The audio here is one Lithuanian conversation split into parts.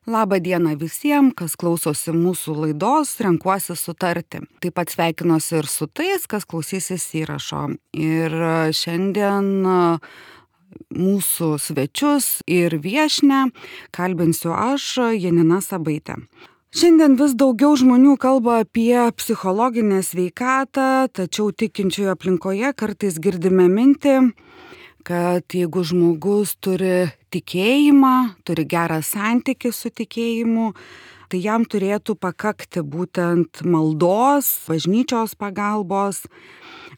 Labą dieną visiems, kas klausosi mūsų laidos Renkuosi sutarti. Taip pat sveikinuosi ir su tais, kas klausysis įrašo. Ir šiandien mūsų svečius ir viešnią kalbinsiu aš, Janina Sabaitė. Šiandien vis daugiau žmonių kalba apie psichologinę sveikatą, tačiau tikinčiųjų aplinkoje kartais girdime mintį, kad jeigu žmogus turi tikėjimą, turi gerą santykį su tikėjimu, tai jam turėtų pakakti būtent maldos, bažnyčios pagalbos.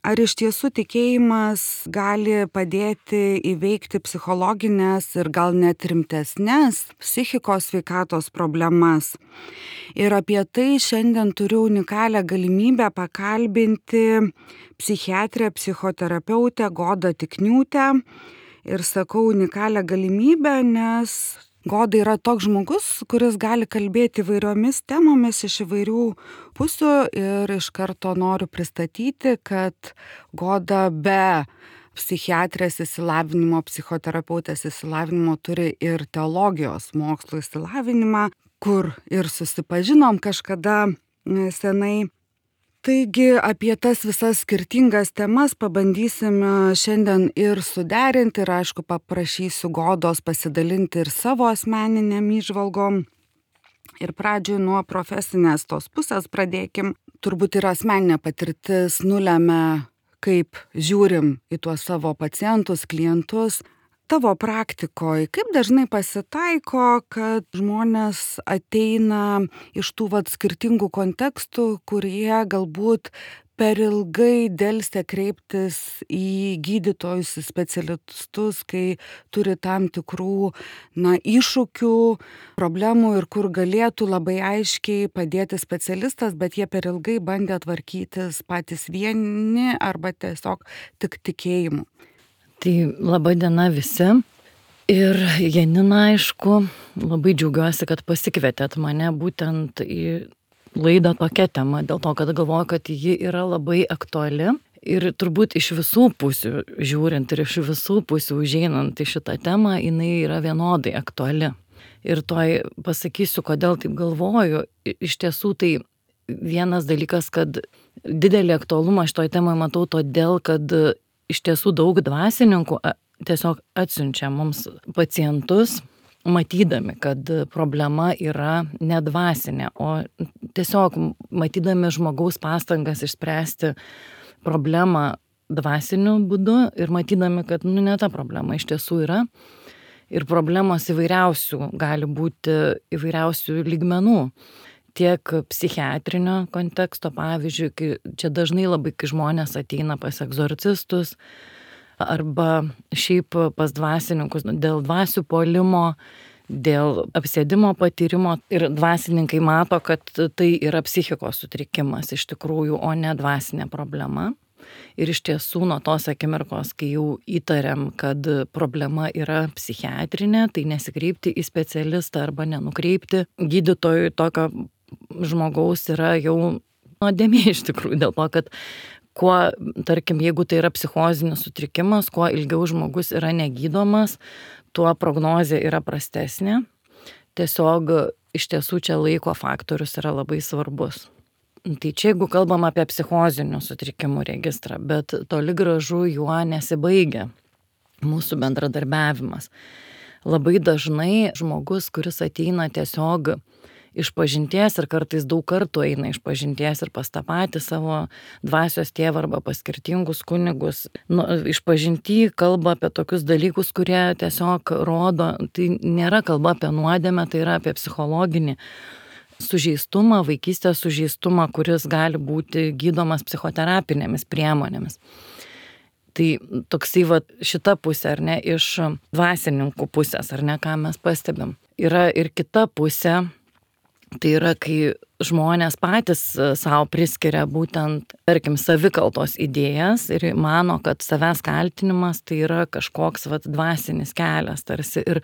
Ar iš tiesų tikėjimas gali padėti įveikti psichologinės ir gal net rimtesnės psichikos sveikatos problemas? Ir apie tai šiandien turiu unikalią galimybę pakalbinti psichiatrę, psichoterapeutę Godą Tikniūtę. Ir sakau unikalią galimybę, nes Goda yra toks žmogus, kuris gali kalbėti įvairiomis temomis iš įvairių pusių ir iš karto noriu pristatyti, kad Goda be psichiatrės išsilavinimo, psichoterapeutės išsilavinimo turi ir teologijos mokslo išsilavinimą, kur ir susipažinom kažkada senai. Taigi apie tas visas skirtingas temas pabandysime šiandien ir suderinti ir aišku paprašysiu Godos pasidalinti ir savo asmeninėm įžvalgom. Ir pradžioj nuo profesinės tos pusės pradėkim. Turbūt ir asmeninė patirtis nulemia, kaip žiūrim į tuos savo pacientus, klientus. Tavo praktikoje, kaip dažnai pasitaiko, kad žmonės ateina iš tų skirtingų kontekstų, kurie galbūt per ilgai delsė kreiptis į gydytojus, į specialistus, kai turi tam tikrų iššūkių, problemų ir kur galėtų labai aiškiai padėti specialistas, bet jie per ilgai bandė tvarkytis patys vieni arba tiesiog tik tikėjimu. Tai laba diena visi. Ir Janina, aišku, labai džiaugiuosi, kad pasikvietėt mane būtent į laidą tokia tema, dėl to, kad galvoju, kad ji yra labai aktuali. Ir turbūt iš visų pusių žiūrint ir iš visų pusių užeinant į šitą temą, jinai yra vienodai aktuali. Ir toj pasakysiu, kodėl taip galvoju. Iš tiesų tai vienas dalykas, kad didelį aktualumą šitoj temai matau todėl, kad iš tiesų daug dvasininkų tiesiog atsiunčia mums pacientus, matydami, kad problema yra ne dvasinė, o tiesiog matydami žmogaus pastangas išspręsti problemą dvasiniu būdu ir matydami, kad ne ta problema iš tiesų yra. Ir problemos įvairiausių gali būti įvairiausių lygmenų. Tiek psichiatrinio konteksto, pavyzdžiui, kai čia dažnai labai, kai žmonės ateina pas egzorcistus arba šiaip pas dvasininkus dėl dvasių puolimo, dėl apsėdimo patyrimo ir dvasininkai mato, kad tai yra psichikos sutrikimas iš tikrųjų, o ne dvasinė problema. Ir iš tiesų nuo tos akimirkos, kai jau įtariam, kad problema yra psichiatrinė, tai nesikreipti į specialistą arba nenukreipti gydytojui tokio žmogaus yra jau nuodėmė iš tikrųjų, dėl to, kad kuo, tarkim, jeigu tai yra psichozinis sutrikimas, kuo ilgiau žmogus yra negydomas, tuo prognozė yra prastesnė. Tiesiog iš tiesų čia laiko faktorius yra labai svarbus. Tai čia jeigu kalbam apie psichozinių sutrikimų registrą, bet toli gražu juo nesibaigia mūsų bendradarbiavimas. Labai dažnai žmogus, kuris ateina tiesiog išpažinties ir kartais daug kartų eina išpažinties ir pas tą patį savo dvasios tėvą arba pas skirtingus kunigus. Išpažinty kalba apie tokius dalykus, kurie tiesiog rodo, tai nėra kalba apie nuodėmę, tai yra apie psichologinį sužeistumą, vaikystės sužeistumą, kuris gali būti gydomas psichoterapinėmis priemonėmis. Tai toksai šita pusė, ar ne, iš dvasininkų pusės, ar ne, ką mes pastebim. Yra ir kita pusė. Tai yra, kai žmonės patys savo priskiria būtent, tarkim, savikaltos idėjas ir mano, kad savęs kaltinimas tai yra kažkoks dvasinis kelias tarsi ir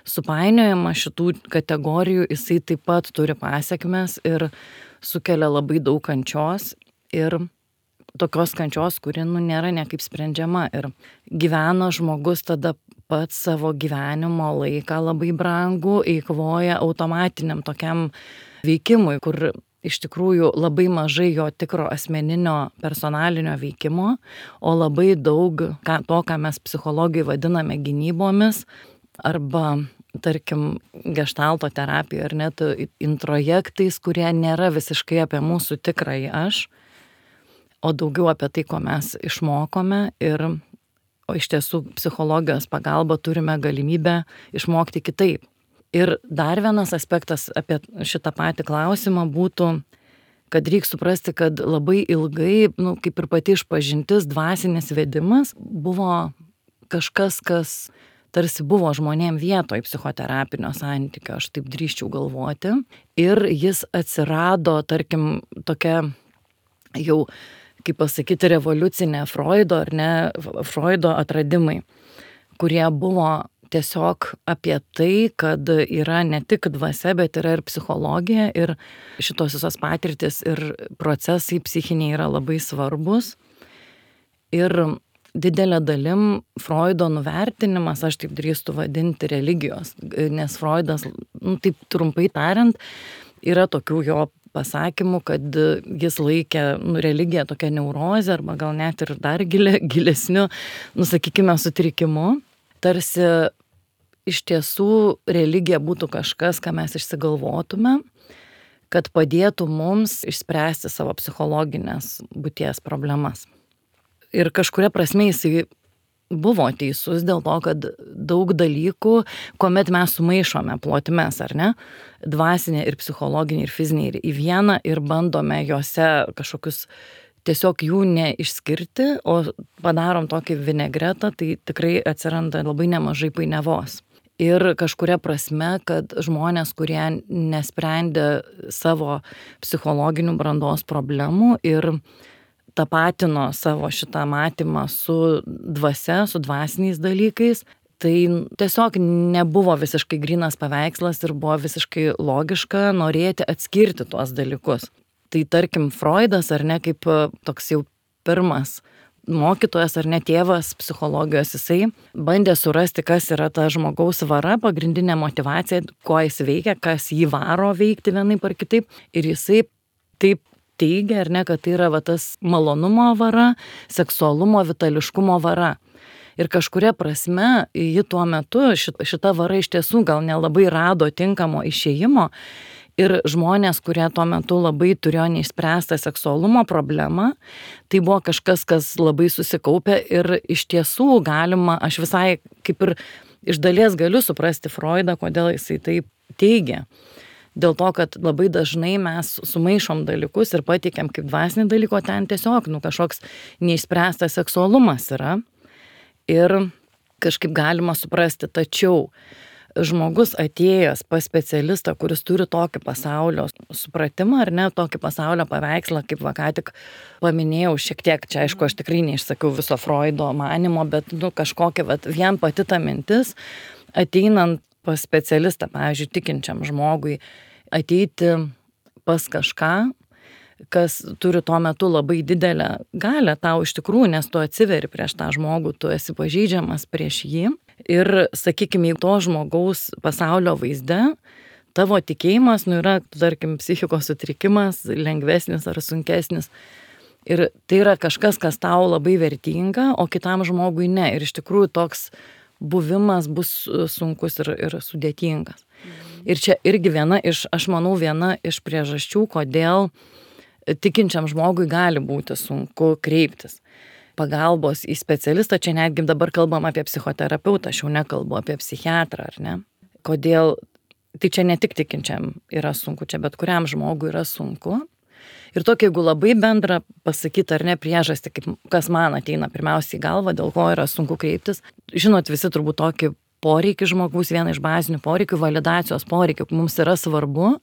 supainiojama šitų kategorijų, jisai taip pat turi pasekmes ir sukelia labai daug kančios ir tokios kančios, kuri nėra niekaip sprendžiama. Ir gyvena žmogus tada pats savo gyvenimo laiką labai brangų, eikvoja automatiniam tokiam veikimui, kur iš tikrųjų labai mažai jo tikro asmeninio personalinio veikimo, o labai daug to, ką mes psichologijai vadiname gynybomis, arba, tarkim, geštalto terapija ar net introjektais, kurie nėra visiškai apie mūsų tikrąjį aš, o daugiau apie tai, ko mes išmokome. O iš tiesų psichologijos pagalba turime galimybę išmokti kitaip. Ir dar vienas aspektas apie šitą patį klausimą būtų, kad reikia suprasti, kad labai ilgai, kaip ir pati išpažintis, dvasinis vedimas buvo kažkas, kas tarsi buvo žmonėm vietoj psichoterapinio santykio, aš taip drįsčiau galvoti. Ir jis atsirado, tarkim, tokia jau, kaip pasakyti, revoliucinė Freudo atradimai, kurie buvo tiesiog apie tai, kad yra ne tik dvasia, bet yra ir psichologija, ir šitos visos patirtis ir procesai psichiniai yra labai svarbus. Ir didelė dalim Freudo nuvertinimas, aš taip drįstu vadinti, religijos, nes Freudas, taip trumpai tariant, yra tokių jo pasakymų, kad jis laikė religiją tokią neurozę, arba gal net ir dar gilesniu, sakykime, sutrikimu. Tarsi iš tiesų religija būtų kažkas, ką mes išsigalvotume, kad padėtų mums išspręsti savo psichologinės būties problemas. Ir kažkuria prasme jisai buvo teisus dėl to, kad daug dalykų, kuomet mes sumaišome plotmes, ar ne, dvasinė ir psichologinė ir fizinė į vieną ir bandome juose kažkokius tiesiog jų neišskirti, o padarom tokį vinegretą, tai tikrai atsiranda labai nemažai painiavos. Ir kažkuria prasme, kad žmonės, kurie nesprendė savo psichologinių brandos problemų ir tapatino savo šitą matymą su dvasia, su dvasiniais dalykais, tai tiesiog nebuvo visiškai grynas paveikslas ir buvo visiškai logiška norėti atskirti tuos dalykus. Tai tarkim Freudas, ar ne, kaip toks jau pirmas mokytojas ar ne tėvas psichologijos, jisai bandė surasti, kas yra ta žmogaus vara, pagrindinė motyvacija, ko jis veikia, kas jį varo veikti vienaip ar kitaip. Ir jisai taip teigia, ar ne, kad tai yra tas malonumo vara, seksualumo, vitališkumo vara. Ir kažkuria prasme, ji tuo metu, šita vara iš tiesų gal nelabai rado tinkamo išėjimo. Ir žmonės, kurie tuo metu labai turėjo neišspręstą seksualumo problemą, tai buvo kažkas, kas labai susikaupė ir iš tiesų galima, aš visai kaip ir iš dalies galiu suprasti Freudą, kodėl jisai taip teigia. Dėl to, kad labai dažnai mes sumaišom dalykus ir pateikiam kaip dvasinį dalyką, ten tiesiog kažkoks neišspręstas seksualumas yra. Ir kažkaip galima suprasti, tačiau žmogus atėjęs pas specialistą, kuris turi tokį pasaulio supratimą, ar ne, tokį pasaulio paveikslą, kaip ką tik paminėjau šiek tiek, čia aišku, aš tikrai neišsakiau viso Freudo manimo, bet kažkokia, vien pati ta mintis, ateinant pas specialistą, pavyzdžiui, tikinčiam žmogui, ateiti pas kažką, kas turi tuo metu labai didelę galią tau iš tikrųjų, nes tu atsiveri prieš tą žmogų, tu esi pažeidžiamas prieš jį. Ir, sakykime, to žmogaus pasaulio vaizde, tavo tikėjimas, yra, tarkim, psichikos sutrikimas, lengvesnis ar sunkesnis. Ir tai yra kažkas, kas tau labai vertinga, o kitam žmogui ne. Ir iš tikrųjų toks buvimas bus sunkus ir sudėtingas. Ir čia irgi aš manau, viena iš priežasčių, kodėl tikinčiam žmogui gali būti sunku kreiptis pagalbos į specialistą, čia netgi dabar kalbam apie psichoterapeutą, aš jau nekalbu apie psichiatrą, ar ne? Kodėl, tai čia ne tik tikinčiam yra sunku, čia bet kuriam žmogui yra sunku. Ir tokia, jeigu labai bendra pasakyti, ar ne, priežastį, kas man ateina pirmiausiai į galvą, dėl ko yra sunku kreiptis. Žinot, visi turbūt tokį poreikį žmogaus, vieną iš bazinių poreikių, validacijos poreikių, mums yra svarbu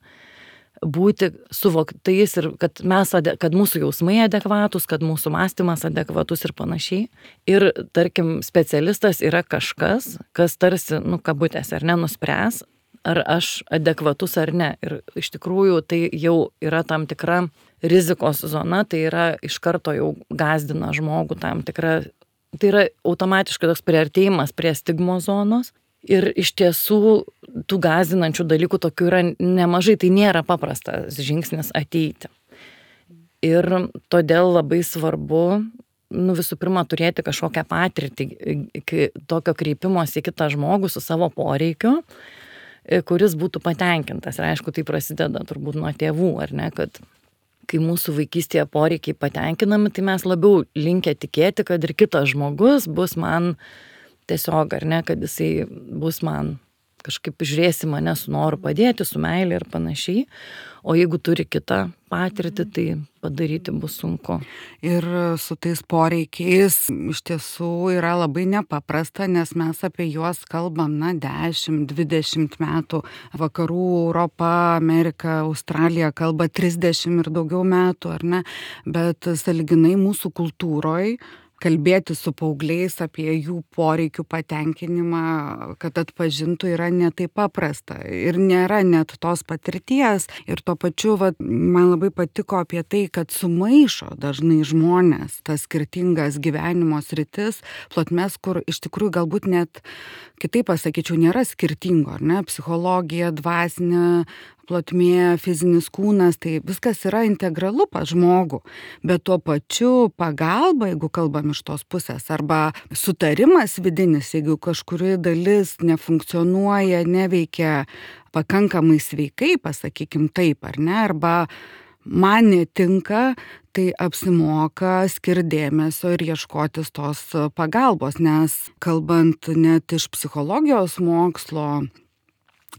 būti suvoktais ir kad mūsų jausmai adekvatus, kad mūsų mąstymas adekvatus ir panašiai. Ir, tarkim, specialistas yra kažkas, kas tarsi, kabutėse, ar ne, nuspręs, ar aš adekvatus ar ne. Ir iš tikrųjų tai jau yra tam tikra rizikos zona, tai yra iš karto jau gąsdina žmogų tam tikra, tai yra automatiškai toks priartėjimas prie stigmos zonos. Ir iš tiesų tų gąsdinančių dalykų tokių yra nemažai, tai nėra paprastas žingsnis ateiti. Ir todėl labai svarbu, visų pirma, turėti kažkokią patirtį tokio kreipimosi į kitą žmogų su savo poreikiu, kuris būtų patenkintas. Ir aišku, tai prasideda turbūt nuo tėvų, ar ne, kad kai mūsų vaikystėje poreikiai patenkinami, tai mes labiau linkę tikėti, kad ir kitas žmogus bus man tiesiog, ar ne, kad jisai bus man kažkaip žiūrėsi mane su noru padėti, su meilė ir panašiai. O jeigu turi kitą patirtį, tai padaryti bus sunku. Ir su tais poreikiais iš tiesų yra labai nepaprasta, nes mes apie juos kalbam, 10-20 metų. Vakarų Europa, Amerika, Australija kalba 30 ir daugiau metų, ar ne? Bet sąlyginai mūsų kultūroje kalbėti su paaugliais apie jų poreikių patenkinimą, kad atpažintų, yra ne taip paprasta. Ir nėra net tos patirties. Ir tuo pačiu, man labai patiko apie tai, kad sumaišo dažnai žmonės tas skirtingas gyvenimo sritis, plotmes, kur iš tikrųjų galbūt net, kitaip pasakyčiau, nėra skirtingo, ar ne? Psichologija, dvasinė plotmė, fizinis kūnas, tai viskas yra integralu pas žmogų, bet tuo pačiu pagalba, jeigu kalbam iš tos pusės, arba sutarimas vidinis, jeigu kažkuri dalis nefunkcionuoja, neveikia pakankamai sveikai, pasakykim taip, ar ne, arba man netinka, tai apsimoka skirti dėmesio ir ieškotis tos pagalbos, nes kalbant net iš psichologijos mokslo,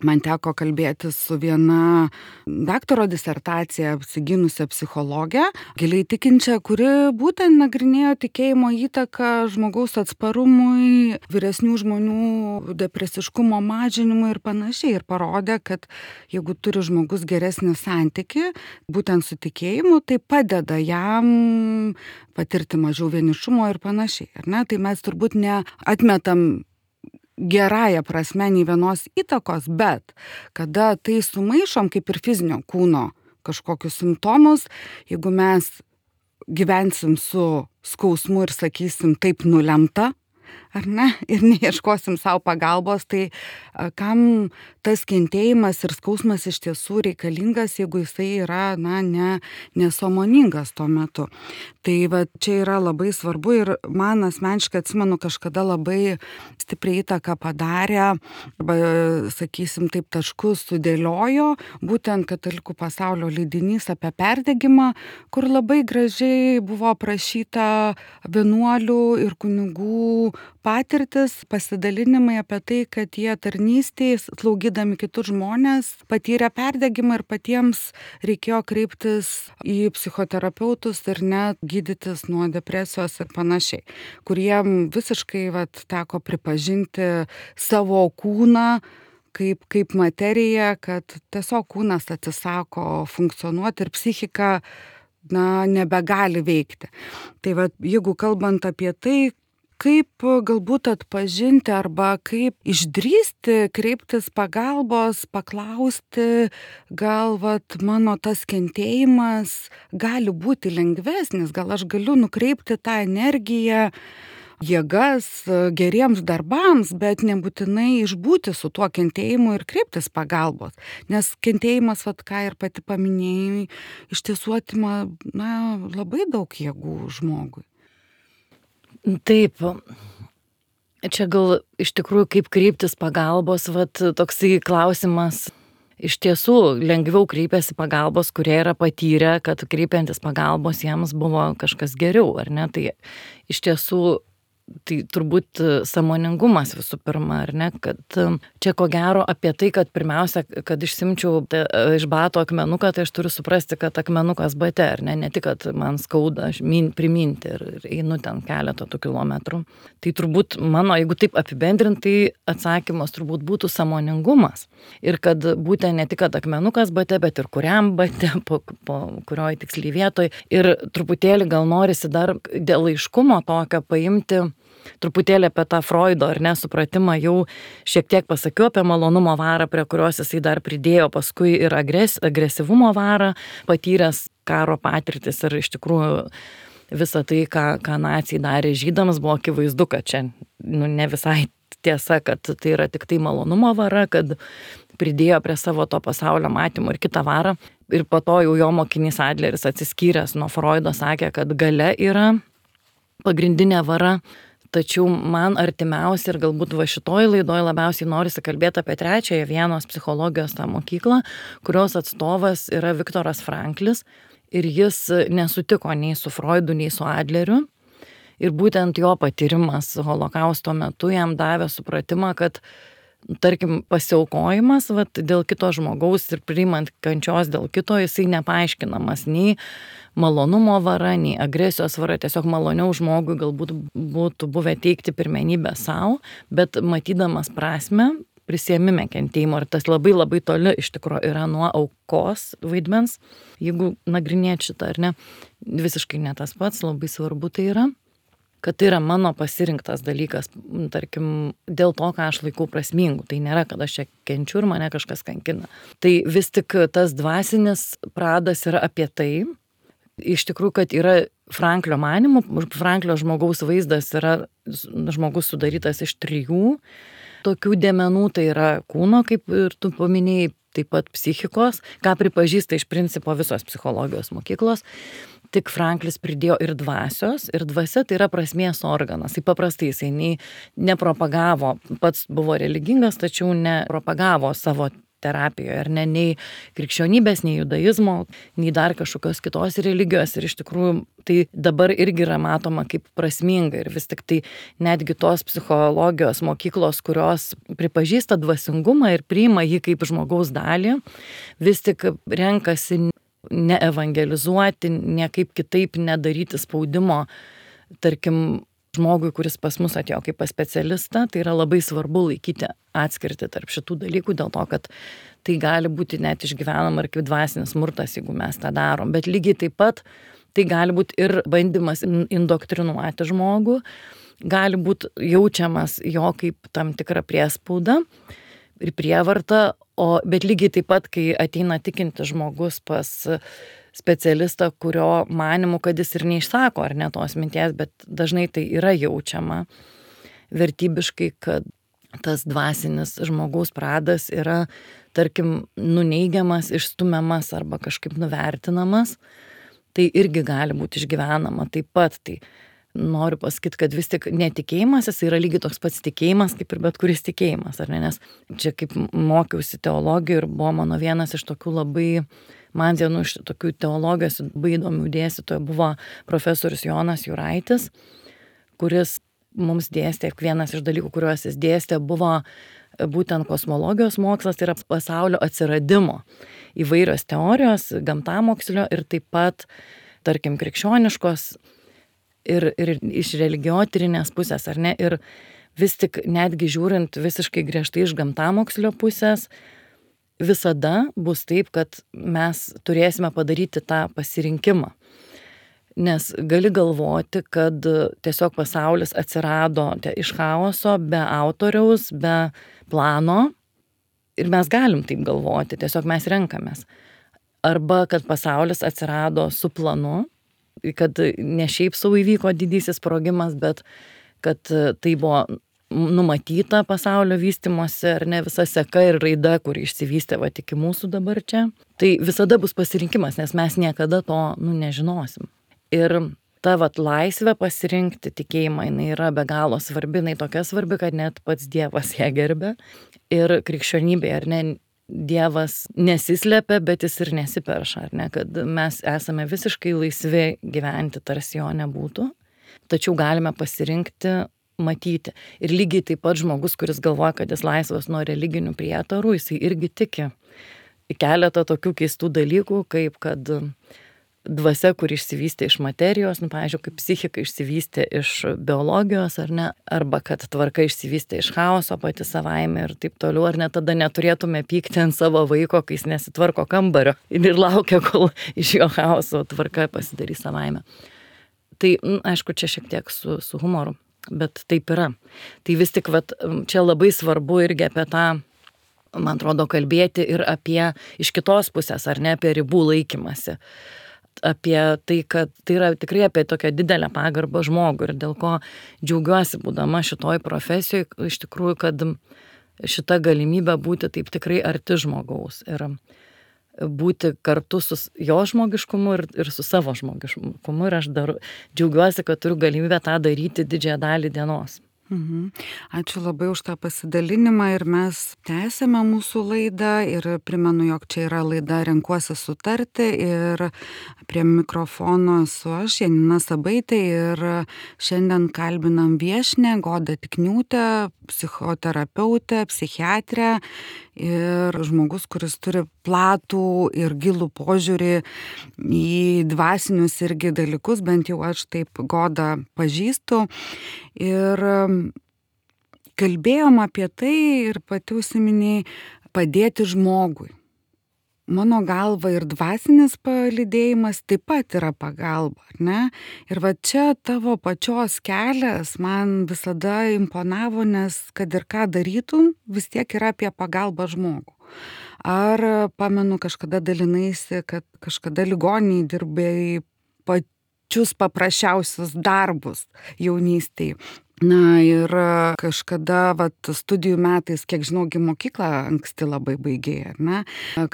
man teko kalbėti su viena daktaro disertaciją apsigynusią psichologę, giliai tikinčią, kuri būtent nagrinėjo tikėjimo įtaką žmogaus atsparumui, vyresnių žmonių depresiškumo mažinimui ir panašiai. Ir parodė, kad jeigu turi žmogus geresnį santykį, būtent su tikėjimu, tai padeda jam patirti mažiau vienišumo ir panašiai. Ar ne? Tai mes turbūt neatmetam gerąją prasme nei vienos įtakos, bet kada tai sumaišom kaip ir fizinio kūno kažkokius simptomus, jeigu mes gyvensim su skausmu ir sakysim taip nulemta, ar ne, ir neieškosim savo pagalbos, tai kam tas kentėjimas ir skausmas iš tiesų reikalingas, jeigu jisai yra, nesąmoningas tuo metu. Tai čia yra labai svarbu ir man asmeniškai atsimenu kažkada labai stipriai įtaką padarė, arba, sakysim, taip taškus sudėliojo, būtent Katalikų pasaulio leidinys apie perdegimą, kur labai gražiai buvo aprašyta vienuolių ir kunigų patirtis, pasidalinimai apie tai, kad jie tarnystėje, slaugydami kitus žmonės, patyrė perdegimą ir patiems reikėjo kreiptis į psichoterapeutus ir net gydytis nuo depresijos ir panašiai, kuriem visiškai teko pripažinti savo kūną kaip materiją, kad tiesiog kūnas atsisako funkcionuoti ir psichika nebegali veikti. Tai jeigu kalbant apie tai, kaip galbūt atpažinti arba kaip išdrįsti kreiptis pagalbos, paklausti, gal mano tas kentėjimas gali būti lengvesnis, gal aš galiu nukreipti tą energiją, jėgas geriems darbams, bet nebūtinai išbūti su tuo kentėjimu ir kreiptis pagalbos. Nes kentėjimas, ką ir pati paminėjai, iš tiesų atima labai daug jėgų žmogui. Taip, čia gal iš tikrųjų kaip kreiptis pagalbos, toksai klausimas. Iš tiesų lengviau kreipiasi pagalbos, kurie yra patyrę, kad kreipiantis pagalbos jiems buvo kažkas geriau, ar ne? Tai iš tiesų tai turbūt sąmoningumas visų pirma, ar ne, kad čia ko gero apie tai, kad pirmiausia, kad išsimčiau iš bato akmenuką, tai aš turiu suprasti, kad akmenukas bate, ar ne tik, kad man skauda priminti ir einu ten keletą tų kilometrų. Tai turbūt mano, jeigu taip apibendrintai, atsakymas turbūt būtų sąmoningumas. Ir kad būtent ne tik, kad akmenukas bate, bet ir kuriam bate, po kurioj tiksliai vietoj. Ir truputėlį gal norisi dar dėl aiškumo tokio paimti truputėlį apie tą Freudo ar nesupratimą jau šiek tiek pasakiau apie malonumo varą, prie kurios jisai dar pridėjo paskui ir agresyvumo varą, patyręs karo patirtis ir iš tikrųjų visą tai, ką naciai darė žydams, buvo akivaizdu, kad čia ne visai tiesa, kad tai yra tik tai malonumo vara, kad pridėjo prie savo to pasaulio matymo ir kitą varą. Ir po to jau jo mokinys Adleris atsiskyręs nuo Freudo sakė, kad galia yra pagrindinė vara. Tačiau man artimiausia ir galbūt va šitoj laidoj labiausiai norisi kalbėti apie trečiąją Vienos psichologijos tą mokyklą, kurios atstovas yra Viktoras Franklis. Ir jis nesutiko nei su Freudu, nei su Adleriu. Ir būtent jo patyrimas holokausto metu jam davė supratimą, kad, tarkim, pasiaukojimas dėl kito žmogaus ir priimant kančios dėl kito, jisai nepaaiškinamas nei malonumo vara, nei agresijos vara. Tiesiog maloniau žmogui galbūt būtų buvę teikti pirmenybę savo, bet matydamas prasmę, prisiėmime kentėjimo, ir tas labai labai toli iš tikrųjų yra nuo aukos vaidmens, jeigu nagrinėti šitą ar ne, visiškai ne tas pats, labai svarbu tai yra, kad tai yra mano pasirinktas dalykas, tarkim, dėl to, ką aš laikau prasmingu, tai nėra, kad aš čia kenčiu ir mane kažkas kankina. Tai vis tik tas dvasinis pradas yra apie tai, iš tikrųjų, kad yra Franklio manymu, Franklio žmogaus vaizdas yra žmogus sudarytas iš 3 tokių dėmenų, tai yra kūno, kaip ir tu paminėjai, taip pat psichikos, ką pripažįsta iš principo visos psichologijos mokyklos. Tik Franklis pridėjo ir dvasios, ir dvasia tai yra prasmės organas. Tai paprastai jisai nepropagavo, pats buvo religingas, tačiau nepropagavo savo terapijoje, ar ne, nei krikščionybės, nei judaizmo, nei dar kažkokios kitos religijos. Ir iš tikrųjų tai dabar irgi yra matoma kaip prasminga. Ir vis tik tai netgi tos psichologijos mokyklos, kurios pripažįsta dvasingumą ir priima jį kaip žmogaus dalį, vis tik renkasi neevangelizuoti, niekaip kitaip nedaryti spaudimo, tarkim, žmogui, kuris pas mus atėjo kaip pas specialistą, tai yra labai svarbu laikyti atskirti tarp šitų dalykų, dėl to, kad tai gali būti net išgyvenama ir kaip dvasinis smurtas, jeigu mes tą darom. Bet lygiai taip pat tai gali būti ir bandymas indoktrinuoti žmogų, gali būti jaučiamas jo kaip tam tikra priespauda ir prievarta, bet lygiai taip pat, kai ateina tikintis žmogus pas specialistą, kurio manimu, kad jis ir neišsako ar ne tos minties, bet dažnai tai yra jaučiama vertybiškai, kad tas dvasinis žmogaus pradas yra, tarkim, nuneigiamas, išstumiamas arba kažkaip nuvertinamas, tai irgi gali būti išgyvenama taip pat. Tai noriu pasakyti, kad vis tik netikėjimas, jis yra lygiai toks pats tikėjimas, kaip ir bet kuris tikėjimas, ar ne? Nes čia kaip mokiausi teologijų ir buvo mano vienas iš tokių labai, man vienu iš tokių teologijos labai įdomių dėstytojų buvo profesorius Jonas Juraitis, kuris mums dėstė, vienas iš dalykų, kuriuos jis dėstė, buvo būtent kosmologijos mokslas, tai yra pasaulio atsiradimo įvairios teorijos, gamtamokslio ir taip pat, tarkim, krikščioniškos ir iš religiotyrinės pusės, ar ne? Ir vis tik netgi žiūrint visiškai griežtai iš gamtamokslio pusės, visada bus taip, kad mes turėsime padaryti tą pasirinkimą. Nes gali galvoti, kad tiesiog pasaulis atsirado iš chaoso, be autoriaus, be plano. Ir mes galim taip galvoti, tiesiog mes renkamės. Arba kad pasaulis atsirado su planu, kad ne šiaip savo įvyko didysis sprogimas, bet kad tai buvo numatyta pasaulio vystymosi, ar ne, visa seka ir raida, kuri išsivystė iki mūsų dabar čia. Tai visada bus pasirinkimas, nes mes niekada to nežinosim. Ir ta laisvė pasirinkti tikėjimą, jinai yra be galo svarbi, jinai tokia svarbi, kad net pats Dievas ją gerbė. Ir krikščionybė, ar ne, Dievas nesislepia, bet jis ir nesiperša, ar ne, kad mes esame visiškai laisvi gyventi, tarsi jo nebūtų. Tačiau galime pasirinkti matyti. Ir lygiai taip pat žmogus, kuris galvoja, kad jis laisvas nuo religinių prietarų, jisai irgi tiki į keletą tokių keistų dalykų, kaip kad dvasia, kur išsivystė iš materijos, pavyzdžiui, kaip psichika išsivystė iš biologijos, ar ne, arba kad tvarka išsivystė iš chaoso pati savaime ir taip toliau, ar ne, tada neturėtume pykti ant savo vaiko, kai jis nesitvarko kambario ir laukia, kol iš jo chaoso tvarka pasidarys savaime. Tai, aišku, čia šiek tiek su humoru bet taip yra. Tai vis tik čia labai svarbu irgi apie tą, man atrodo, kalbėti ir apie iš kitos pusės, ar ne, apie ribų laikymasi. Apie tai, kad tai yra tikrai apie tokią didelę pagarbą žmogui ir dėl ko džiaugiuosi būdama šitoj profesijoje, iš tikrųjų, kad šita galimybė būti taip tikrai arti žmogaus ir būti kartu su jo žmogiškumu ir su savo žmogiškumu ir aš džiaugiuosi, kad turiu galimybę tą daryti didžiąją dalį dienos. Ačiū labai už tą pasidalinimą ir mes tęsėme mūsų laidą ir primenu, jog čia yra laida Renkuosi sutarti ir prie mikrofono esu aš, Janina Sabaitė ir šiandien kalbinam viešnią Godą Tikniūtę, psichoterapeutę, psichiatrę ir žmogus, kuris turi platų ir gilų požiūrį į dvasinius irgi dalykus, bent jau aš taip Godą pažįstu. Ir kalbėjom apie tai ir pati užsiminėjai padėti žmogui. Mano galva ir dvasinis palydėjimas taip pat yra pagalba, ar ne? Ir va čia tavo pačios kelias man visada imponavo, nes kad ir ką darytum, vis tiek yra apie pagalbą žmogų. Ar pamenu, kažkada dalinaisi, kad kažkada ligoninėj dirbėjai pačius paprasčiausius darbus jaunystėj. Na ir kažkada studijų metais, kiek žinau, mokyklą anksti labai baigėjai, ar ne?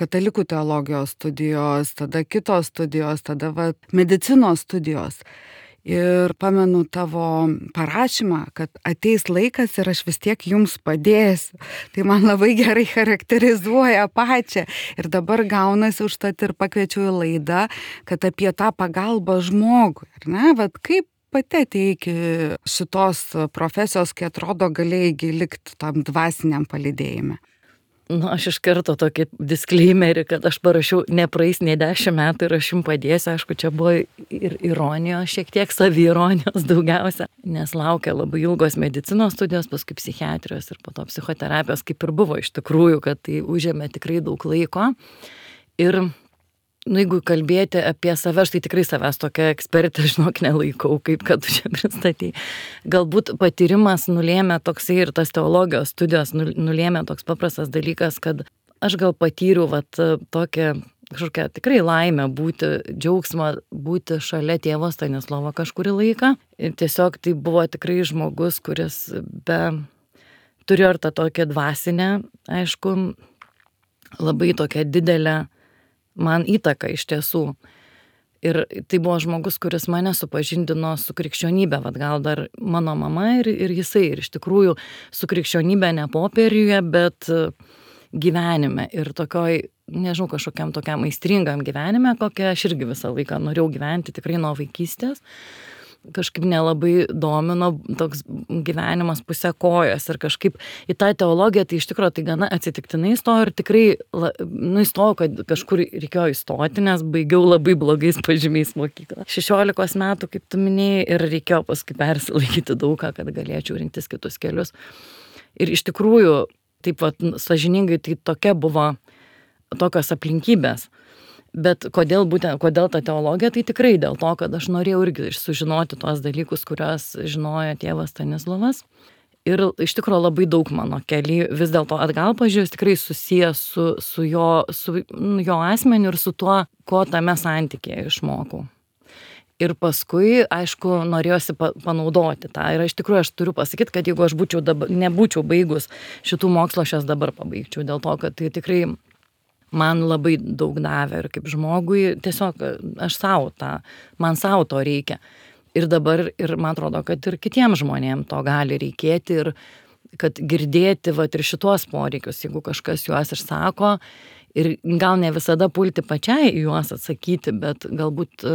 Katalikų teologijos studijos, tada kitos studijos, tada medicinos studijos. Ir pamenu tavo parašymą, kad ateis laikas ir aš vis tiek jums padėsiu. Tai man labai gerai charakterizuoja pačią. Ir dabar gaunasi užtat ir pakviečiau į laidą, kad apie tą pagalbą žmogui, ar ne? Kaip pati atėjai iki šitos profesijos, kai atrodo galėjai likti tam dvasiniam palydėjime? Aš iš karto tokį disclaimerį, kad aš parašiau, nepraeis nei 10 metų ir aš jums padėsiu. Aišku, čia buvo ir ironijos, šiek tiek saviironijos daugiausia, nes laukia labai ilgos medicinos studijos, paskui psichiatrijos ir po to psichoterapijos, kaip ir buvo iš tikrųjų, kad tai užėmė tikrai daug laiko. Ir jeigu kalbėti apie save, aš tai tikrai savęs tokia ekspertė, žinok, nelaikau, kaip kad tu čia pristatei. Galbūt patyrimas nulėmė toksai ir tas teologijos studijos nulėmė toks paprastas dalykas, kad aš gal patyriau tokią kažkokią tikrai laimę būti, džiaugsmą būti šalia tėvo Stanislovo kažkurį laiką. Ir tiesiog tai buvo tikrai žmogus, kuris turėjo ir tą tokią dvasinę, aišku, labai tokią didelę man įtaka iš tiesų. Ir tai buvo žmogus, kuris mane supažindino su krikščionybė, gal dar mano mama ir jisai. Ir iš tikrųjų su krikščionybė ne popieriuje, bet gyvenime. Ir tokioj, nežinau, kažkokiam tokiam aistringam gyvenime, kokią aš irgi visą laiką norėjau gyventi tikrai nuo vaikystės. Kažkaip nelabai domino toks gyvenimas pusę kojos ir kažkaip į tą teologiją, tai iš tikrųjų tai gana atsitiktinai įstojau ir tikrai įstojau, kad kažkur reikėjo įstoti, nes baigiau labai blogais pažymiais mokyklą. 16 metų, kaip tu minėjai, ir reikėjo paskui persilaikyti daugą, kad galėčiau rinktis kitus kelius. Ir iš tikrųjų, taip sąžiningai, tai tokia buvo tokios aplinkybės. Bet kodėl ta teologija, tai tikrai dėl to, kad aš norėjau irgi sužinoti tuos dalykus, kuriuos žinojo tėvas Stanislovas. Ir iš tikrųjų labai daug mano keliai vis dėlto atgal pažiūrėjus tikrai susijęs su jo asmeniu ir su tuo, ko tame santykėje išmokau. Ir paskui, aišku, norėjosi panaudoti tą. Ir iš tikrųjų aš turiu pasakyti, kad jeigu aš nebūčiau baigus šitų mokslo, aš jas dabar pabaigčiau. Dėl to, kad tai tikrai man labai daug davė ir kaip žmogui, tiesiog aš man savo to reikia. Ir dabar, ir man atrodo, kad ir kitiems žmonėms to gali reikėti ir kad girdėti ir šitos poreikius, jeigu kažkas juos išsako ir gal ne visada pulti pačiai juos atsakyti, bet galbūt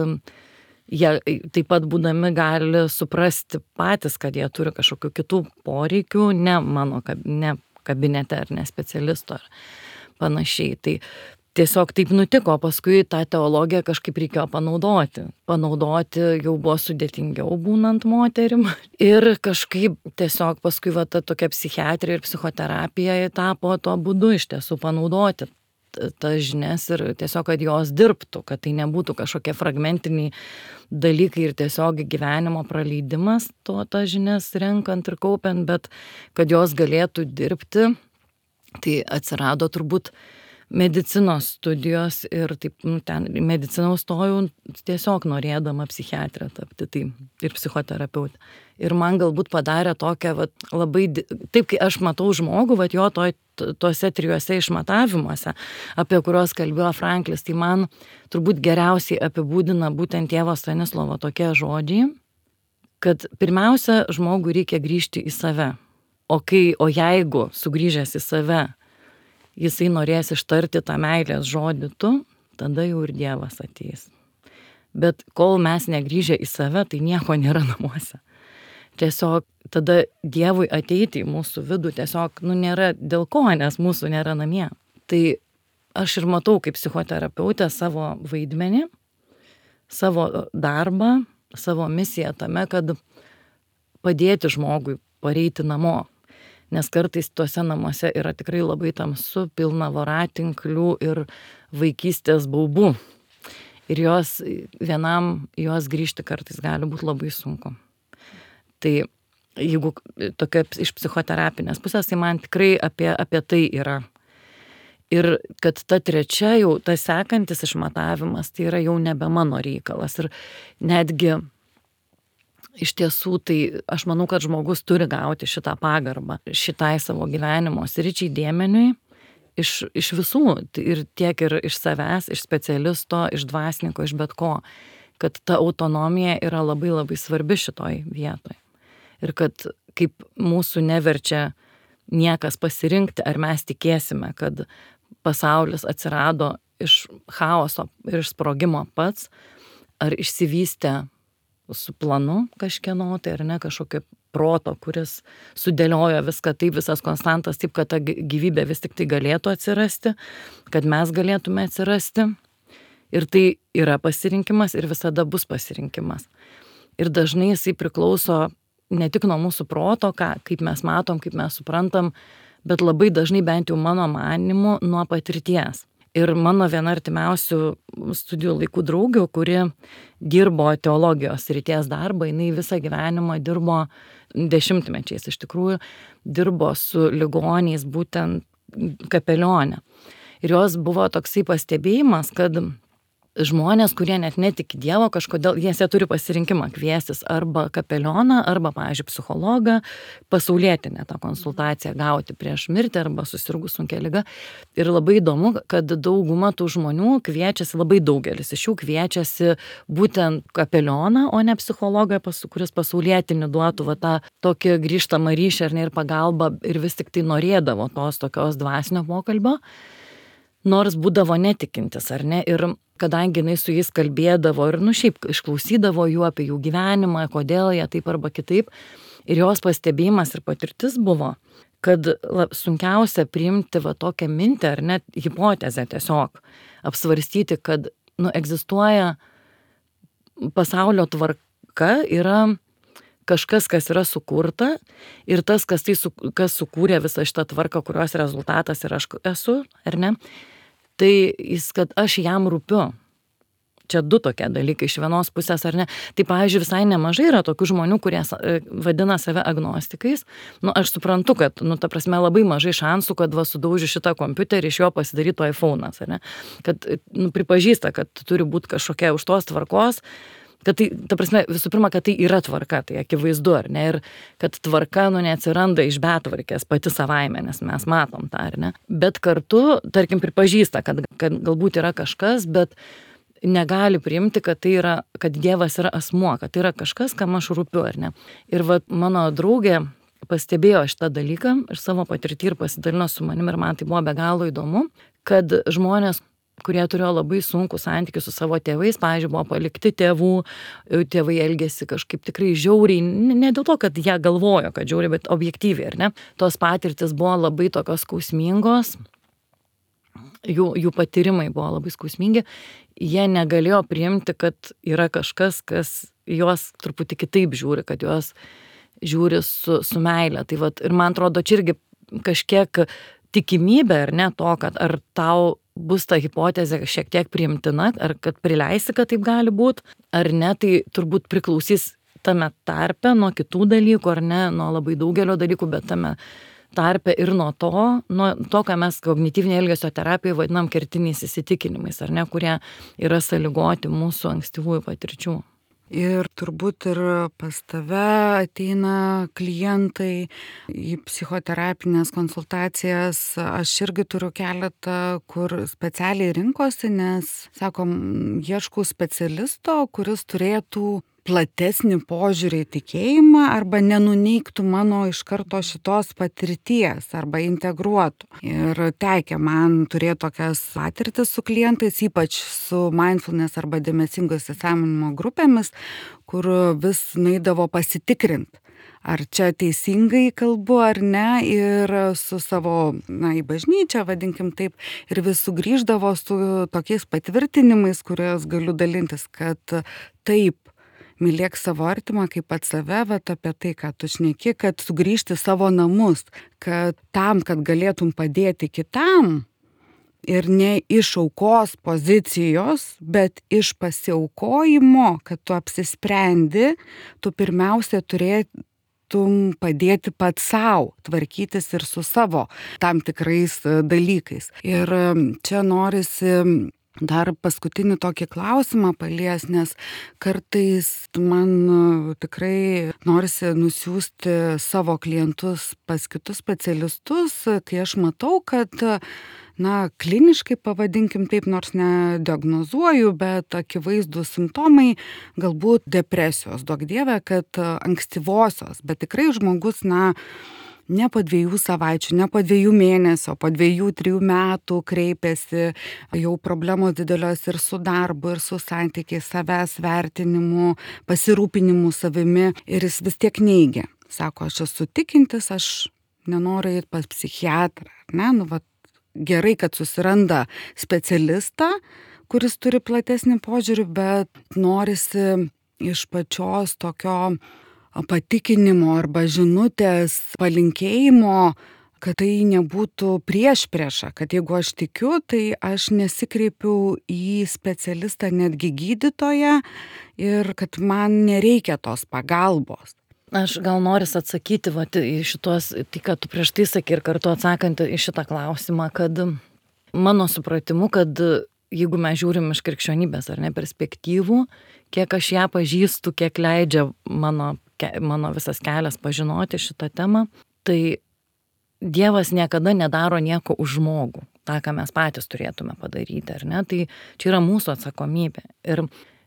jie taip pat būdami gali suprasti patys, kad jie turi kažkokių kitų poreikių, ne mano kabinete ar ne specialisto ar panašiai. Tai tiesiog taip nutiko, paskui tą teologiją kažkaip reikėjo panaudoti. Panaudoti jau buvo sudėtingiau būnant moterim. Ir kažkaip tiesiog paskui ta tokia psichiatrija ir psichoterapija tapo tuo būdu iš tiesų panaudoti tas žinias ir tiesiog, kad jos dirbtų, kad tai nebūtų kažkokie fragmentiniai dalykai ir tiesiog gyvenimo praleidimas tas žinias renkant ir kaupiant, bet kad jos galėtų dirbti. Tai atsirado turbūt medicinos studijos ir taip, ten mediciną stojau tiesiog norėdama psichiatrė tapti, tai ir psichoterapeutė. Ir man galbūt padarė tokią, labai, taip kai aš matau žmogų, jo tuose 3 išmatavimuose, apie kuriuos kalbėjo Franklis, tai man turbūt geriausiai apibūdina būtent tėvo Stanislovo tokie žodžiai, kad pirmiausia, žmogui reikia grįžti į save. O jeigu sugrįžęs į save, jisai norės ištarti tą meilės žodį tu, tada jau ir Dievas ateis. Bet kol mes negrįžę į save, tai nieko nėra namuose. Tiesiog tada Dievui ateiti į mūsų vidų tiesiog, nėra dėl ko, nes mūsų nėra namie. Tai aš ir matau kaip psichoterapeutė savo vaidmenį, savo darbą, savo misiją tame, kad padėti žmogui pareiti namo. Nes kartais tuose namuose yra tikrai labai tamsu, pilna voratinklių ir vaikystės baubų. Ir vienam juos grįžti kartais gali būti labai sunku. Tai jeigu tokia iš psichoterapinės pusės, tai man tikrai apie tai yra. Ir kad ta trečia jau, tas sekantis išmatavimas, tai yra jau nebe mano reikalas. Ir netgi iš tiesų, tai aš manau, kad žmogus turi gauti šitą pagarbą, šitai savo gyvenimo sričiai dėmeniui iš visų, ir tiek ir iš savęs, iš specialisto, iš dvasininko, iš bet ko, kad ta autonomija yra labai labai svarbi šitoj vietoj. Ir kad kaip mūsų neverčia niekas pasirinkti, ar mes tikėsime, kad pasaulis atsirado iš chaoso ir iš sprogimo pats, ar išsivystė su planu kažkieno, tai ar ne kažkokio proto, kuris sudėliojo viską taip, visas konstantas taip, kad ta gyvybė vis tik tai galėtų atsirasti, kad mes galėtume atsirasti. Ir tai yra pasirinkimas ir visada bus pasirinkimas. Ir dažnai jisai priklauso ne tik nuo mūsų proto, kaip mes matom, kaip mes suprantam, bet labai dažnai, bent jau mano manymu, nuo patirties. Ir mano viena artimiausių studijų laikų draugių, kuri dirbo teologijos srities darbą, jinai visą gyvenimą dirbo 10-mečiais, iš tikrųjų dirbo su ligoniais būtent kapelionė. Ir jos buvo toksai pastebėjimas, kad žmonės, kurie net netiki Dievo, kažkodėl jie turi pasirinkimą kviestis arba kapelioną, arba, pavyzdžiui, psichologą, pasaulietinę tą konsultaciją gauti prieš mirtį arba susirgus sunkia liga. Ir labai įdomu, kad dauguma tų žmonių kviečiasi, labai daugelis iš jų kviečiasi būtent kapelioną, o ne psichologą, kuris pasaulietinį duotų tą tokį grįžtamą ryšį ir pagalbą, ir vis tik tai norėdavo tos tokios dvasinio pokalbio, nors būdavo netikintis, ar ne, ir kadangi jinai su jais kalbėdavo ir, šiaip išklausydavo jų apie jų gyvenimą, kodėl jie taip arba kitaip, ir jos pastebėjimas ir patirtis buvo, kad sunkiausia priimti tokią mintį, ar net hipotezę tiesiog, apsvarstyti, kad, egzistuoja pasaulio tvarka, yra kažkas, kas yra sukurta, ir tas, kas sukūrė visą šitą tvarką, kurios rezultatas ir aš esu, ar ne, tai jis, kad aš jam rūpiu. Čia du tokie dalykai iš vienos pusės, ar ne. Tai, pavyzdžiui, visai nemažai yra tokių žmonių, kurie vadina save agnostikais. Aš suprantu, kad, ta prasme, labai mažai šansų, kad sudaužiu šitą kompiuterį, iš jo pasidarytų iPhone'as, ar ne. Kad, pripažįsta, kad turi būti kažkokia už tos tvarkos, kad tai, ta prasme, visų pirma, kad tai yra tvarka, tai akivaizdu, ar ne, ir kad tvarka, neatsiranda iš betvarkės pati savaime, nes mes matom tą, ar ne. Bet kartu, tarkim, pripažįsta, kad galbūt yra kažkas, bet negali priimti, kad tai yra, kad Dievas yra asmuo, kad tai yra kažkas, kam aš rūpiu, ar ne. Ir mano draugė pastebėjo šitą dalyką ir savo patirtį ir pasidalino su manim, ir man tai buvo be galo įdomu, kad žmonės, kurie turėjo labai sunkų santykį su savo tėvais, pavyzdžiui, buvo palikti tėvų, tėvai elgėsi kažkaip tikrai žiauriai, ne dėl to, kad jie galvojo, kad žiauriai, bet objektyviai, ar ne. Tos patirtis buvo labai tokios skausmingos, jų patyrimai buvo labai skausmingi, jie negalėjo priimti, kad yra kažkas, kas juos truputį kitaip žiūri, kad juos žiūri su meile. Tai ir man atrodo, čia irgi kažkiek tikimybė, ar ne, to, kad ar tau bus ta hipotezė šiek tiek priimtina, ar kad prileisi, kad taip gali būti, ar ne, tai turbūt priklausys tame tarpe nuo kitų dalykų, ar ne, nuo labai daugelio dalykų, bet tame tarpe ir nuo to, ką mes kognityvinė elgesio terapija vadinam kertiniais įsitikinimais, ar ne, kurie yra sąlygoti mūsų ankstyvųjų patirčių. Ir turbūt ir pas tave ateina klientai į psichoterapinės konsultacijas. Aš irgi turiu keletą, kur specialiai rinkosi, nes, sakom, ieškau specialisto, kuris turėtų platesnį požiūrį į tikėjimą arba nenuneigtų mano iš karto šitos patirties arba integruotų. Ir tekę man turėti tokias patirtis su klientais, ypač su mindfulness arba dėmesingo įsisąmoninimo grupėmis, kur vis nueidavo pasitikrinti, ar čia teisingai kalbu ar ne, ir su savo, į bažnyčią, vadinkim taip, ir vis sugrįždavo su tokiais patvirtinimais, kuriuos galiu dalintis, kad taip, mylėk savo artimą kaip pats save, bet apie tai, ką tu šneki, kad sugrįžti savo namus, kad tam, kad galėtum padėti kitam ir ne iš aukos pozicijos, bet iš pasiaukojimo, kad tu apsisprendi, tu pirmiausia turėtum padėti pats savo, tvarkytis ir su savo tam tikrais dalykais. Ir čia norisi dar paskutinį tokį klausimą palies, nes kartais man tikrai norisi nusiųsti savo klientus pas kitus specialistus, kai aš matau, kad kliniškai pavadinkim taip, nors nediagnozuoju, bet akivaizdūs simptomai, galbūt depresijos, duok dieve, kad ankstyvosios, bet tikrai žmogus, ne po 2 savaičių, ne po 2 mėnesių, po 2-3 metų kreipiasi, jau problemos didelios ir su darbu, ir su santykiais, savęs vertinimu, pasirūpinimu savimi, ir jis vis tiek neigia. Sako, aš esu tikintis, aš nenoriu eiti pas psichiatrą. Gerai, kad susiranda specialistą, kuris turi platesnį požiūrį, bet norisi iš pačios tokio patikinimo arba žinutės, palinkėjimo, kad tai nebūtų priešprieša, kad jeigu aš tikiu, tai aš nesikreipiu į specialistą, netgi gydytoją, ir kad man nereikia tos pagalbos. Aš gal noris atsakyti į šitos, tai ką tu prieš tai sakai ir kartu atsakant į šitą klausimą, kad mano supratimu, kad jeigu mes žiūrim iš krikščionybės ar ne perspektyvų, kiek aš ją pažįstu, kiek leidžia mano visas kelias pažinoti šitą temą, tai Dievas niekada nedaro nieko už žmogų, tą, ką mes patys turėtume padaryti, ar ne? Tai čia yra mūsų atsakomybė. Ir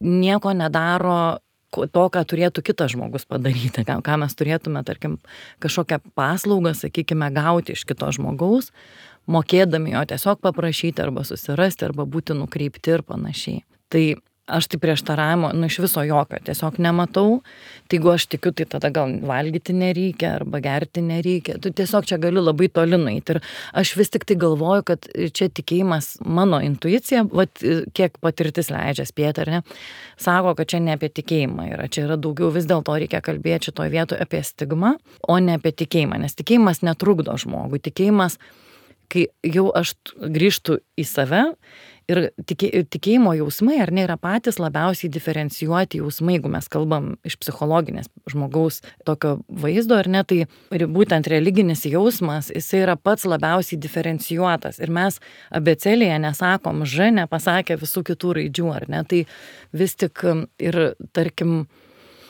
nieko nedaro to, ką turėtų kitas žmogus padaryti, ką mes turėtume, tarkim, kažkokią paslaugą, sakykime, gauti iš kito žmogaus, mokėdami jo tiesiog paprašyti arba susirasti, arba būti nukreipti ir panašiai. Tai aš tai prieštaravimo, iš viso jokio tiesiog nematau. Tai jeigu aš tikiu, tai tada gal valgyti nereikia arba gerti nereikia. Tu tiesiog čia gali labai toli nueiti. Ir aš vis tik tai galvoju, kad čia tikėjimas, mano intuicija, kiek patirtis leidžia spėti, ar ne, sako, kad čia ne apie tikėjimą yra. Čia yra daugiau, vis dėlto reikia kalbėti šitoje vietoje apie stigmą, o ne apie tikėjimą. Nes tikėjimas netrukdo žmogui. Tikėjimas, kai jau aš grįžtu į save, ir tikėjimo jausmai, ar ne, yra patys labiausiai diferencijuoti jausmai, jeigu mes kalbam iš psichologinės žmogaus tokio vaizdo, ar ne, tai būtent religinis jausmas, jisai yra pats labiausiai diferencijuotas. Ir mes abėcėlėje nesakom Ž, nepasakę visų kitų raidžių, ar ne, tai vis tik ir, tarkim,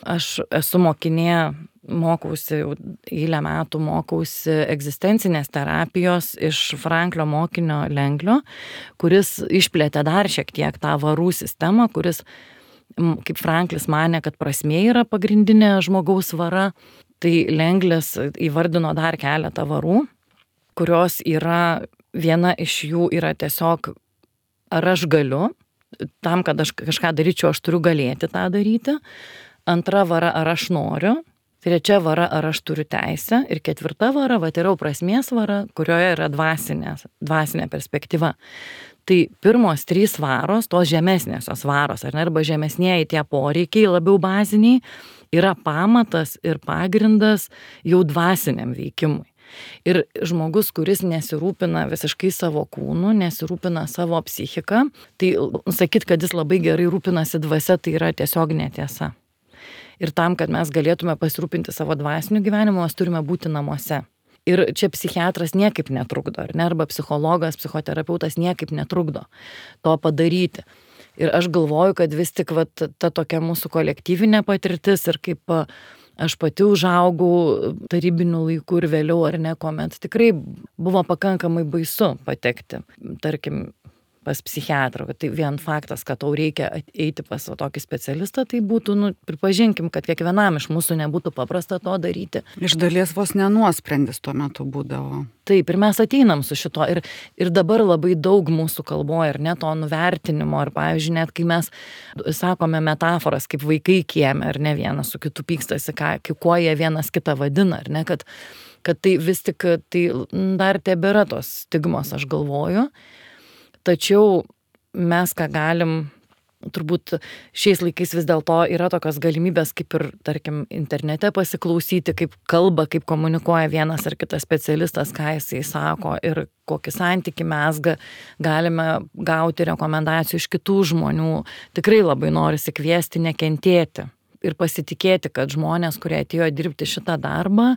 aš esu mokinė, mokausi, eilę metų mokausi egzistencinės terapijos iš Franklio mokinio Lenglio, kuris išplėtė dar šiek tiek tą varų sistemą, kuris, kaip Franklis manė, kad prasmė yra pagrindinė žmogaus vara, tai Lenglis įvardino dar keletą varų, kurios yra, viena iš jų yra tiesiog, ar aš galiu, tam, kad aš kažką daryčiau, aš turiu galėti tą daryti. Antra vara, ar aš noriu. Trečia vara, ar aš turiu teisę. Ir ketvirta vara, yra prasmės vara, kurioje yra dvasinė perspektyva. Tai pirmos 3 varos, tos žemesnėsios varos, ar ne, arba žemesnėji tie poreikiai, labiau baziniai, yra pamatas ir pagrindas jau dvasiniam veikimui. Ir žmogus, kuris nesirūpina visiškai savo kūnu, nesirūpina savo psichiką, tai sakyt, kad jis labai gerai rūpinasi dvasia, tai yra tiesiog netiesa. Ir tam, kad mes galėtume pasirūpinti savo dvasiniu gyvenimu, mes turime būti namuose. Ir čia psichiatras niekaip netrukdo, ar ne, arba psichologas, psichoterapeutas niekaip netrukdo to padaryti. Ir aš galvoju, kad vis tik ta tokia mūsų kolektyvinė patirtis ir kaip aš pati užaugau tarybinių laikų ir vėliau, ar ne, kuomet tikrai buvo pakankamai baisu patekti, tarkim, pas psichiatrą, kad tai vien faktas, kad tau reikia eiti pas tokį specialistą, tai būtų, pripažinkim, kad kiekvienam iš mūsų nebūtų paprasta to daryti. Iš dalies vos nenuosprendis tuo metu būdavo. Taip, ir mes ateinam su šito. Ir dabar labai daug mūsų kalboje, ir net to nuvertinimo, ir pavyzdžiui, net kai mes sakome metaforas, kaip vaikai kieme, ar ne, vienas su kitu pykstasi, kuo jie vienas kitą vadina, ar ne, kad tai vis tik tai dar tebėra tos stigmos, aš galvoju. Tačiau mes ką galim, turbūt šiais laikais vis dėlto yra tokios galimybės, kaip ir, tarkim, internete pasiklausyti, kaip kalba, kaip komunikuoja vienas ar kitas specialistas, ką jisai sako ir kokį santykį mesga, galime gauti rekomendacijų iš kitų žmonių. Tikrai labai norisi kviesti nekentėti ir pasitikėti, kad žmonės, kurie atėjo dirbti šitą darbą,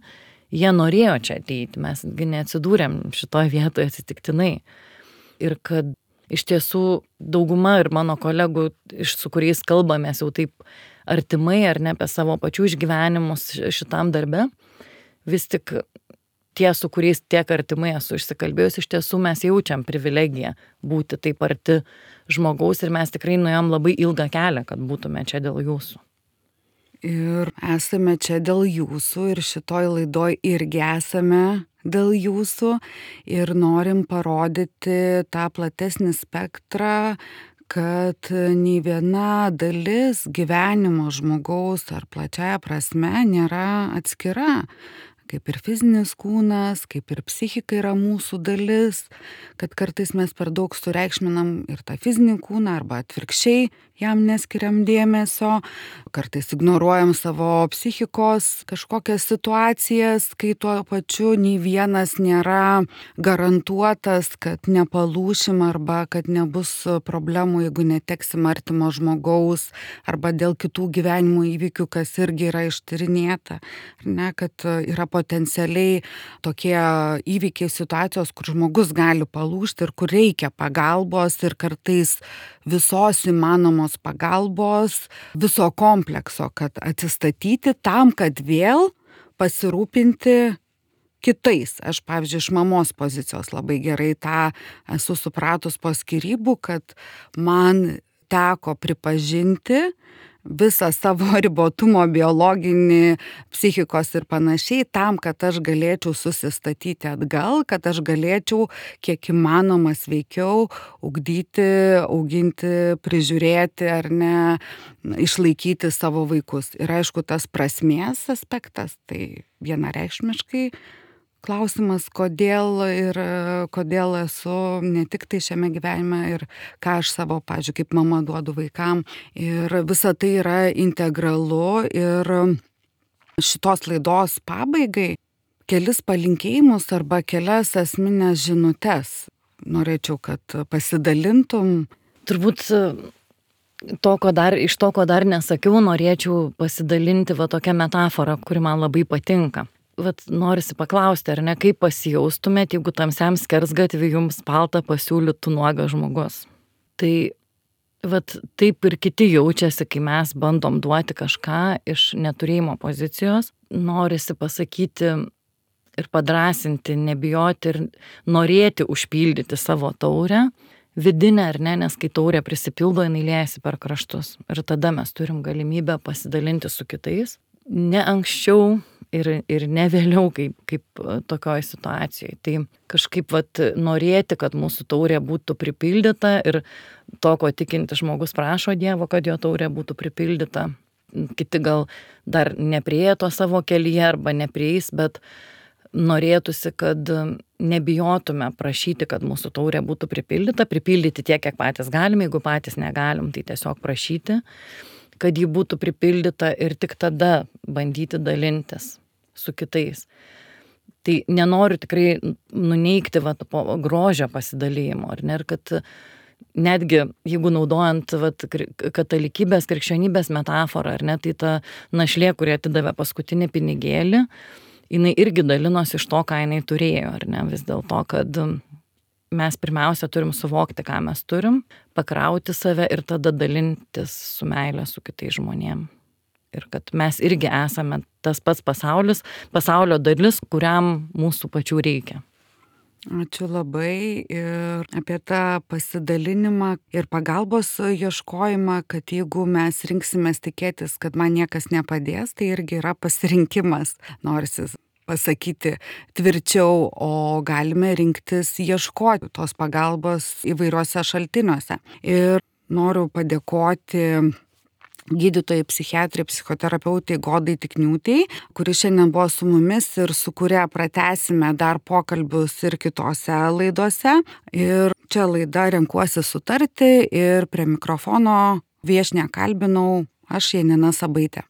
jie norėjo čia ateiti, mes neatsidūrėm šitoje vietoje atsitiktinai. Ir kad iš tiesų dauguma ir mano kolegų, su kuriais kalbamės jau taip artimai ar ne apie savo pačių išgyvenimus šitam darbe, vis tik tie, su kuriais tiek artimai esu išsikalbėjus, iš tiesų mes jaučiam privilegiją būti taip arti žmogaus ir mes tikrai nuėjom labai ilgą kelią, kad būtume čia dėl jūsų. Ir esame čia dėl jūsų ir šitoj laidoj irgi esame dėl jūsų ir norim parodyti tą platesnį spektrą, kad nei viena dalis gyvenimo žmogaus ar plačiaja prasme nėra atskira. Kaip ir fizinis kūnas, kaip ir psichika yra mūsų dalis, kad kartais mes per daug sureikšminam ir tą fizinį kūną arba atvirkščiai jam neskiriam dėmesio, kartais ignoruojam savo psichikos kažkokias situacijas, kai tuo pačiu nei vienas nėra garantuotas, kad nepalūšim arba kad nebus problemų, jeigu neteksim artimo žmogaus arba dėl kitų gyvenimo įvykių, kas irgi yra ištyrinėta. Ne, kad yra potencialiai tokie įvykiai, situacijos, kur žmogus gali palūžti ir kur reikia pagalbos ir kartais visos įmanomos pagalbos, viso komplekso, kad atsistatyti tam, kad vėl pasirūpinti kitais. Aš, pavyzdžiui, iš mamos pozicijos labai gerai tą esu supratus po skyrybų, kad man teko pripažinti visą savo ribotumo biologinį, psichikos ir panašiai, tam, kad aš galėčiau susistatyti atgal, kad aš galėčiau kiek įmanoma sveikiau ugdyti, auginti, prižiūrėti ar ne, išlaikyti savo vaikus. Ir aišku, tas prasmės aspektas, tai vienareikšmiškai klausimas, kodėl esu ne tik tai šiame gyvenime ir ką aš savo, pavyzdžiui, kaip mama duodu vaikam. Ir visa tai yra integralu ir šitos laidos pabaigai kelis palinkėjimus arba kelias esminės žinutes. Norėčiau, kad pasidalintum. Turbūt iš to, ko dar nesakiau, norėčiau pasidalinti tokią metaforą, kuri man labai patinka. Norisi paklausti, ar ne, kaip pasijaustumėt, jeigu tamsiam skersgatviui jums paltą pasiūlytų nuogas žmogus. Tai taip ir kiti jaučiasi, kai mes bandom duoti kažką iš neturėjimo pozicijos. Norisi pasakyti ir padrasinti, nebijoti ir norėti užpildyti savo taurę, vidinę ar ne, nes kai taurė prisipildo, jinai liejasi per kraštus. Ir tada mes turim galimybę pasidalinti su kitais. Ne anksčiau ir ne vėliau kaip tokioj situacijai. Tai kažkaip norėti, kad mūsų taurė būtų pripildyta ir to, ko tikinti žmogus prašo Dievo, kad jo taurė būtų pripildyta. Kiti gal dar neprieė to savo kelyje arba neprieis, bet norėtųsi, kad nebijotume prašyti, kad mūsų taurė būtų pripildyta, pripildyti tiek, kiek patys galime, jeigu patys negalim, tai tiesiog prašyti, kad ji būtų pripildyta ir tik tada bandyti dalintis su kitais. Tai nenoriu tikrai nuneigti grožio pasidalijimo, ar ne, ir kad netgi jeigu naudojant katalikybės, krikščionybės metaforą, ar ne, tai ta našlė, kuri atidavė paskutinį pinigėlį, jinai irgi dalinosi iš to, ką jinai turėjo, ar ne, vis dėlto, kad mes pirmiausia turim suvokti, ką mes turim, pakrauti save ir tada dalintis su meile su kitais žmonėm. Ir kad mes irgi esame tas pats pasaulio dalis, kuriam mūsų pačių reikia. Ačiū labai ir apie tą pasidalinimą ir pagalbos ieškojimą, kad jeigu mes rinksimės tikėtis, kad man niekas nepadės, tai irgi yra pasirinkimas, norisi pasakyti tvirčiau, o galime rinktis ieškoti tos pagalbos įvairiuose šaltiniuose. Ir noriu padėkoti gydytojai, psichiatrai, psichoterapeutai Godai Tikniūtei, kuri šiandien buvo su mumis ir su kuria pratęsime dar pokalbius ir kitose laidose. Ir čia laida Renkuosi sutarti ir prie mikrofono viešnią kalbinau aš, Janina Sabaitė.